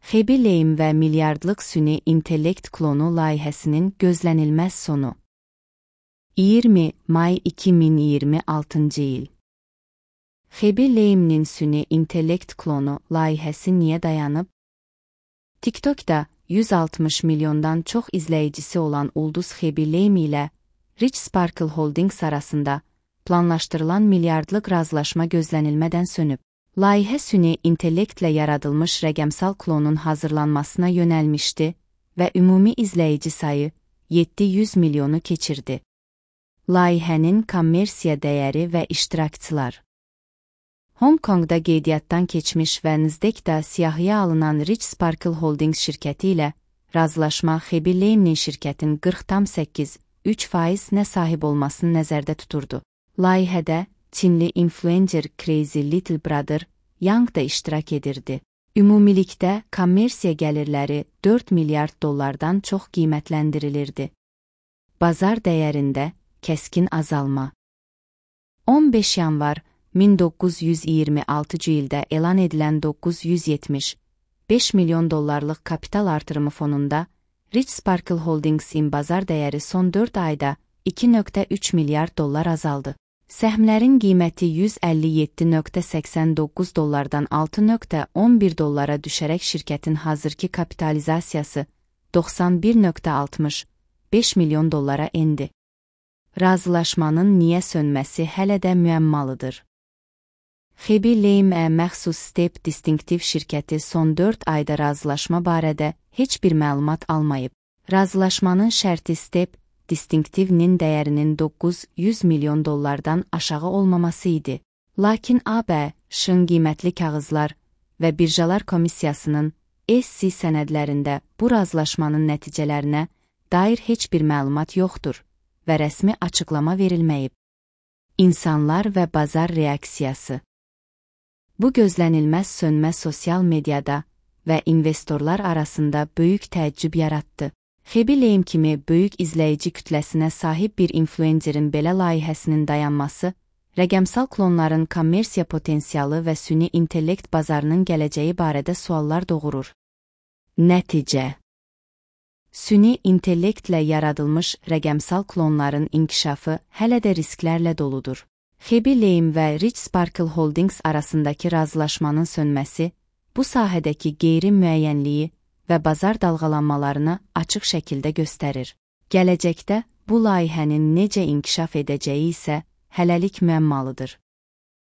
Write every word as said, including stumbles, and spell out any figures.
Xebi Lame və milyardlıq süni intellekt klonu layihəsinin gözlənilməz sonu. iyirmi may iki min iyirmi altıncı il. Xebi Lame'nin süni intellekt klonu layihəsi niyə dayanıb? TikTok'da yüz altmış milyondan çox izləyicisi olan ulduz Xebi Lame ilə Rich Sparkle Holdings arasında planlaşdırılan milyardlıq razılaşma gözlənilmədən sönüb. Layihə süni intellektlə yaradılmış rəqəmsal klonun hazırlanmasına yönəlmişdi və ümumi izləyici sayı yeddi yüz milyonu keçirdi. Layihənin kommersiya dəyəri və iştirakçılar. Hong Kongda qeydiyyatdan keçmiş və Nasdaqda siyahıya alınan Rich Sparkle Holdings şirkəti ilə razılaşma Xebi Lame'nin şirkətin qırx tam səkkiz üç faizinə sahib olmasını nəzərdə tuturdu. Layihədə Çinli influencer Crazy Little Brother Yang da iştirak edirdi. Ümumilikdə kommersiya gəlirləri dörd milyard dollardan çox qiymətləndirilirdi. Bazar dəyərində kəskin azalma. on beş yanvar min doqquz yüz iyirmi altıncı ildə elan edilən doqquz yüz yetmiş beş milyon dollarlıq kapital artırımı fonunda Rich Sparkle Holdings'in bazar dəyəri son dörd ayda iki nöqtə üç milyard dollar azaldı. Səhmlərin qiyməti yüz əlli yeddi nöqtə səksən doqquz dollardan altı nöqtə on bir dollara düşərək şirkətin hazırki kapitalizasiyası doxsan bir nöqtə altmış beş milyon dollara endi. Razılaşmanın niyə sönməsi hələ də müəmmalıdır. Xebi Lame-ə məxsus Step Distinctive şirkəti son dörd ayda razılaşma barədə heç bir məlumat almayıb. Razılaşmanın şərti Step Distinctive-nin dəyərinin doqquz yüz milyon dollardan aşağı olmaması idi. Lakin A B Ş-ın qiymətli kağızlar və birjalar komissiyasının S C sənədlərində bu razılaşmanın nəticələrinə dair heç bir məlumat yoxdur və rəsmi açıqlama verilməyib. İnsanlar və bazar reaksiyası. Bu gözlənilməz sönmə sosial mediada və investorlar arasında böyük təəccüb yaratdı. Xebi Lame kimi böyük izləyici kütləsinə sahib bir influencerin belə layihəsinin dayanması, rəqəmsal klonların kommersiya potensialı və süni intellekt bazarının gələcəyi barədə suallar doğurur. Nəticə. Süni intellektlə yaradılmış rəqəmsal klonların inkişafı hələ də risklərlə doludur. Xebi Lame və Rich Sparkle Holdings arasındakı razılaşmanın sönməsi, bu sahədəki qeyri-müəyyənliyi və bazar dalğalanmalarını açıq şəkildə göstərir. Gələcəkdə bu layihənin necə inkişaf edəcəyi isə hələlik müəmmalıdır.